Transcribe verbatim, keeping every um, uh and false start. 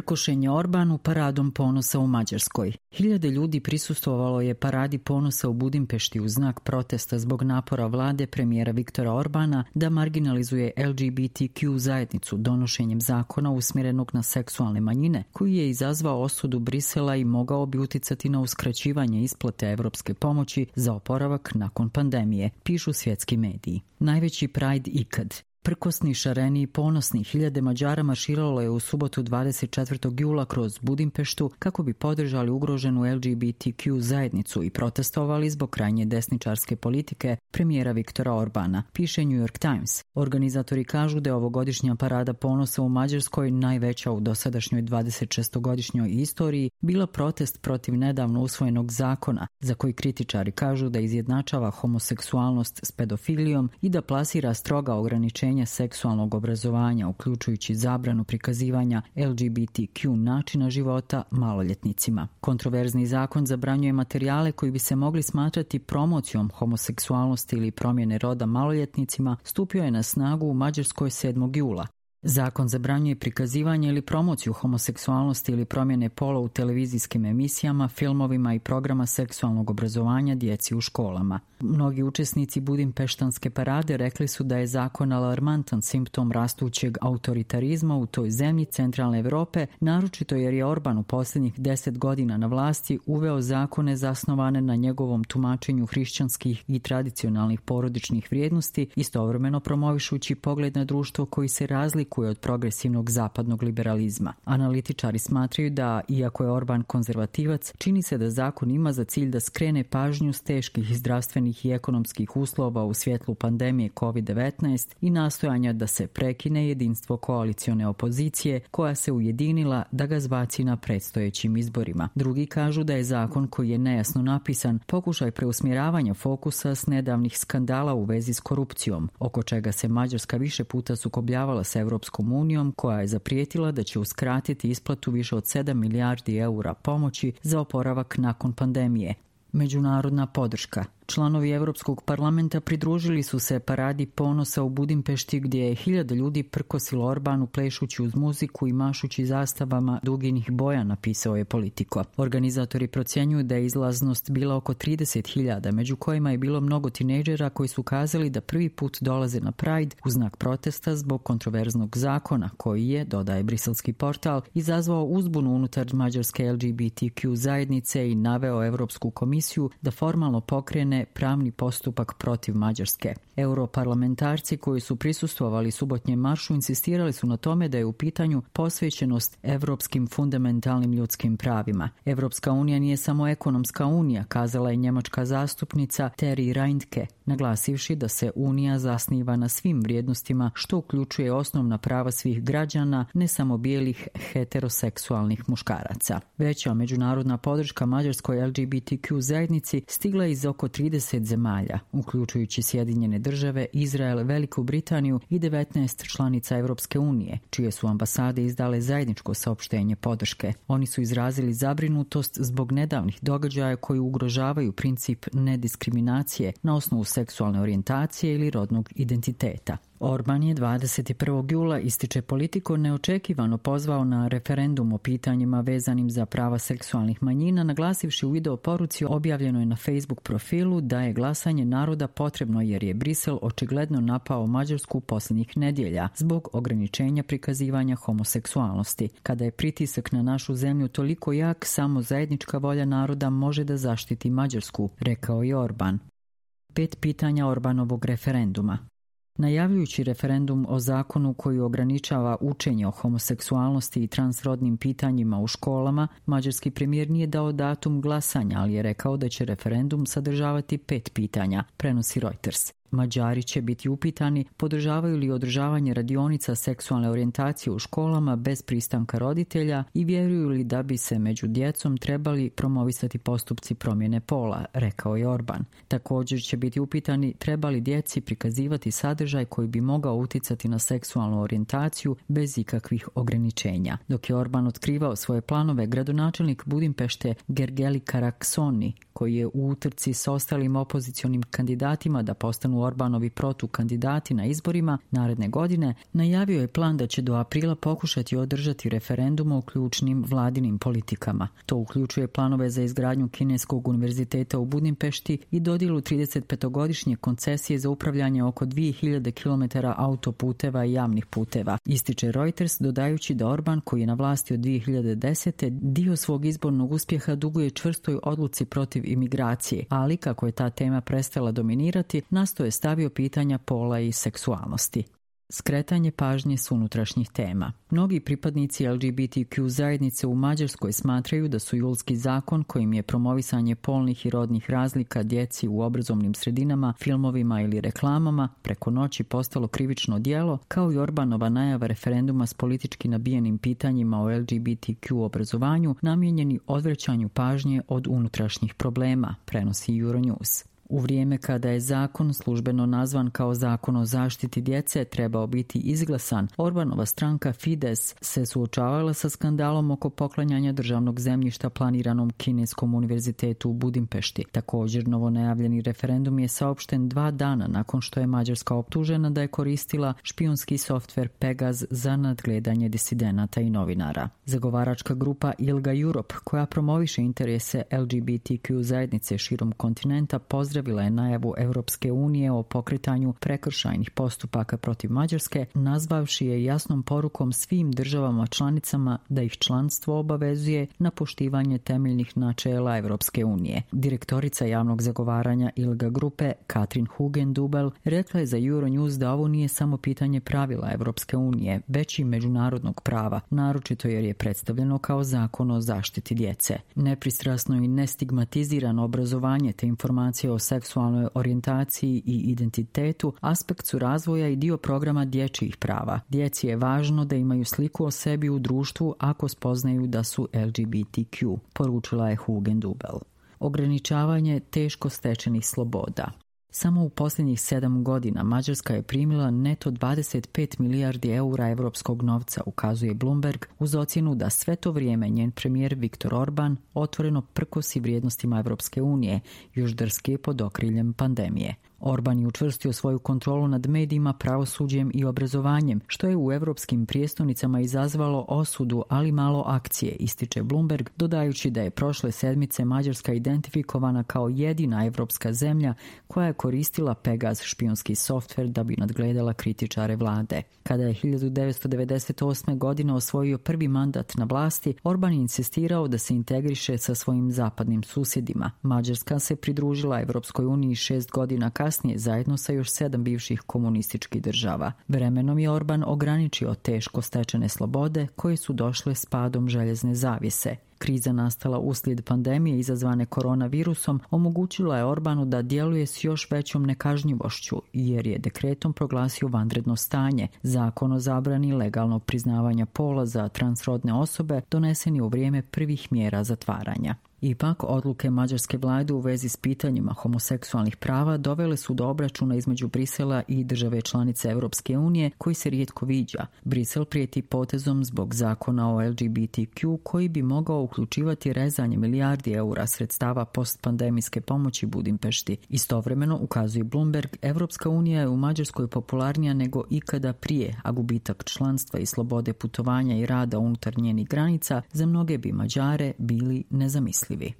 Prkošen je Orbanu paradom ponosa u Mađarskoj. Hiljade ljudi prisustvovalo je paradi ponosa u Budimpešti u znak protesta zbog napora vlade premijera Viktora Orbana da marginalizuje L G B T Q zajednicu donošenjem zakona usmjerenog na seksualne manjine, koji je izazvao osudu Brisela i mogao bi uticati na uskraćivanje isplate evropske pomoći za oporavak nakon pandemije, pišu svjetski mediji. Najveći Pride ikad. Prkosni, šareni i ponosni hiljade Mađara marširalo je u subotu dvadeset četvrtog jula kroz Budimpeštu kako bi podržali ugroženu L G B T Q zajednicu i protestovali zbog krajnje desničarske politike premijera Viktora Orbana, piše New York Times. Organizatori kažu da je ovogodišnja parada ponosa u Mađarskoj, najveća u dosadašnjoj dvadesetšestogodišnjoj istoriji, bila protest protiv nedavno usvojenog zakona, za koji kritičari kažu da izjednačava homoseksualnost s pedofilijom i da plasira stroga ograničenja seksualnog obrazovanja, uključujući zabranu prikazivanja L G B T Q načina života maloljetnicima. Kontroverzni zakon zabranjuje materijale koji bi se mogli smatrati promocijom homoseksualnosti ili promjene roda maloljetnicima, stupio je na snagu u Mađarskoj sedmog jula. Zakon zabranjuje prikazivanje ili promociju homoseksualnosti ili promjene pola u televizijskim emisijama, filmovima i programa seksualnog obrazovanja djeci u školama. Mnogi učesnici Budimpeštanske parade rekli su da je zakon alarmantan simptom rastućeg autoritarizma u toj zemlji centralne Evrope, naročito jer je Orban u posljednjih deset godina na vlasti uveo zakone zasnovane na njegovom tumačenju hrišćanskih i tradicionalnih porodičnih vrijednosti, istovremeno promovišući pogled na društvo koji se razlikuje od progresivnog zapadnog liberalizma. Analitičari smatraju da, iako je Orban konzervativac, čini se da zakon ima za cilj da skrene pažnju s teških zdravstvenih i ekonomskih uslova u svjetlu pandemije kovid devetnaest i nastojanja da se prekine jedinstvo koalicione opozicije koja se ujedinila da ga zbaci na predstojećim izborima. Drugi kažu da je zakon koji je nejasno napisan pokušaj preusmjeravanja fokusa s nedavnih skandala u vezi s korupcijom, oko čega se Mađarska više puta sukobljavala s Europskom unijom, koja je zaprijetila da će uskratiti isplatu više od sedam milijardi eura pomoći za oporavak nakon pandemije. Međunarodna podrška. Članovi Europskog parlamenta pridružili su se paradi ponosa u Budimpešti gdje je hiljada ljudi prkosilo Orbanu plešući uz muziku i mašući zastavama duginih boja, napisao je Politico. Organizatori procjenjuju da je izlaznost bila oko trideset hiljada, među kojima je bilo mnogo tinejdžera koji su kazali da prvi put dolaze na Pride u znak protesta zbog kontroverznog zakona koji je, dodaje briselski portal, izazvao uzbunu unutar mađarske L G B T Q zajednice i naveo Europsku komisiju da formalno pokrene pravni postupak protiv Mađarske. Europarlamentarci koji su prisustvovali subotnjem maršu insistirali su na tome da je u pitanju posvećenost evropskim fundamentalnim ljudskim pravima. Evropska unija nije samo ekonomska unija, kazala je njemačka zastupnica Terry Reintke, naglasivši da se unija zasniva na svim vrijednostima što uključuje osnovna prava svih građana, ne samo bijelih heteroseksualnih muškaraca. Veća međunarodna podrška mađarskoj L G B T Q zajednici stigla iz oko trideset zemalja, uključujući Sjedinjene države, Izrael, Veliku Britaniju i devetnaest članica Evropske unije, čije su ambasade izdale zajedničko saopštenje podrške. Oni su izrazili zabrinutost zbog nedavnih događaja koji ugrožavaju princip nediskriminacije na osnovu seksualne orijentacije ili rodnog identiteta. Orban je dvadeset prvog jula, ističe Politico, neočekivano pozvao na referendum o pitanjima vezanim za prava seksualnih manjina, naglasivši u video poruci objavljenoj na Facebook profilu da je glasanje naroda potrebno jer je Brisel očigledno napao Mađarsku posljednjih nedjelja zbog ograničenja prikazivanja homoseksualnosti. Kada je pritisak na našu zemlju toliko jak, samo zajednička volja naroda može da zaštiti Mađarsku, rekao je Orban. Pet pitanja Orbanovog referenduma. Najavljujući referendum o zakonu koji ograničava učenje o homoseksualnosti i transrodnim pitanjima u školama, mađarski premijer nije dao datum glasanja, ali je rekao da će referendum sadržavati pet pitanja, prenosi Reuters. Mađari će biti upitani podržavaju li održavanje radionica seksualne orijentacije u školama bez pristanka roditelja i vjeruju li da bi se među djecom trebali promovisati postupci promjene pola, rekao je Orban. Također će biti upitani treba li djeci prikazivati sadržaj koji bi mogao uticati na seksualnu orijentaciju bez ikakvih ograničenja. Dok je Orban otkrivao svoje planove, gradonačelnik Budimpešte Gergely Karaksoni, koji je u utrci s ostalim opozicionim kandidatima da postanu istaknu Orbanovi protukandidati na izborima naredne godine, najavio je plan da će do aprila pokušati održati referendum o ključnim vladinim politikama. To uključuje planove za izgradnju Kineskog univerziteta u Budimpešti i dodjelu tridesetpetogodišnje koncesije za upravljanje oko dvije hiljade kilometara autoputeva i javnih puteva. Ističe Reuters, dodajući da Orban, koji je na vlasti od dvije hiljade desete. dio svog izbornog uspjeha duguje čvrstoj odluci protiv imigracije, ali kako je ta tema prestala dominirati, nasto je stavio pitanja pola i seksualnosti. Skretanje pažnje s unutrašnjih tema. Mnogi pripadnici L G B T Q zajednice u Mađarskoj smatraju da su julski zakon kojim je promovisanje polnih i rodnih razlika djeci u obrazovnim sredinama, filmovima ili reklamama preko noći postalo krivično djelo, kao i Orbanova najava referenduma s politički nabijenim pitanjima o L G B T Q obrazovanju namijenjeni odvraćanju pažnje od unutrašnjih problema, prenosi Euronews. U vrijeme kada je zakon službeno nazvan kao zakon o zaštiti djece trebao biti izglasan, Orbanova stranka Fides se suočavala sa skandalom oko poklanjanja državnog zemljišta planiranom Kineskom univerzitetu u Budimpešti. Također, novonajavljeni referendum je saopšten dva dana nakon što je Mađarska optužena da je koristila špijunski softver Pegaz za nadgledanje disidenata i novinara. Zagovaračka grupa ILGA Europe, koja promoviše interese L G B T Q zajednice širom kontinenta, pozdravila je najavu Europske unije o pokretanju prekršajnih postupaka protiv Mađarske, nazvavši je jasnom porukom svim državama članicama da ih članstvo obavezuje na poštivanje temeljnih načela Europske unije. Direktorica javnog zagovaranja ILGA grupe Katrin Hugendubel rekla je za Euronews da ovo nije samo pitanje pravila Europske unije, već i međunarodnog prava, naročito jer je predstavljeno kao zakon o zaštiti djece. Nepristrasno i nestigmatizirano obrazovanje te informacije o seksualnoj orijentaciji i identitetu aspekt su razvoja i dio programa dječjih prava. Djeci je važno da imaju sliku o sebi u društvu ako spoznaju da su L G B T Q, poručila je Hugendubel. Ograničavanje teško stečenih sloboda. Samo u posljednjih sedam godina Mađarska je primila neto dvadeset pet milijardi eura evropskog novca, ukazuje Bloomberg, uz ocjenu da sve to vrijeme njen premijer Viktor Orban otvoreno prkosi vrijednostima Evropske unije, još drske pod okriljem pandemije. Orban je učvrstio svoju kontrolu nad medijima, pravosuđem i obrazovanjem, što je u evropskim prijestolnicama izazvalo osudu, ali malo akcije, ističe Bloomberg, dodajući da je prošle sedmice Mađarska identifikovana kao jedina evropska zemlja koja je koristila Pegaz špijunski softver da bi nadgledala kritičare vlade. Kada je hiljadu devetsto devedeset osme. godine osvojio prvi mandat na vlasti, Orban je insistirao da se integriše sa svojim zapadnim susjedima. Mađarska se pridružila Evropskoj uniji šest godina kasnije zajedno sa još sedam bivših komunističkih država. Vremenom je Orban ograničio teško stečene slobode koje su došle s padom željezne zavjese. Kriza nastala uslijed pandemije izazvane koronavirusom omogućila je Orbanu da djeluje s još većom nekažnjivošću, jer je dekretom proglasio vanredno stanje. Zakon o zabrani legalnog priznavanja pola za transrodne osobe donesen je u vrijeme prvih mjera zatvaranja. Ipak, odluke mađarske vlade u vezi s pitanjima homoseksualnih prava dovele su do obračuna između Brisela i države članice Europske unije, koji se rijetko viđa. Brisel prijeti potezom zbog zakona o L G B T Q koji bi mogao uključivati rezanje milijardi eura sredstava postpandemijske pomoći Budimpešti. Istovremeno, ukazuje Bloomberg, Europska unija je u Mađarskoj popularnija nego ikada prije, a gubitak članstva i slobode putovanja i rada unutar njenih granica za mnoge bi Mađare bili nezamislivi.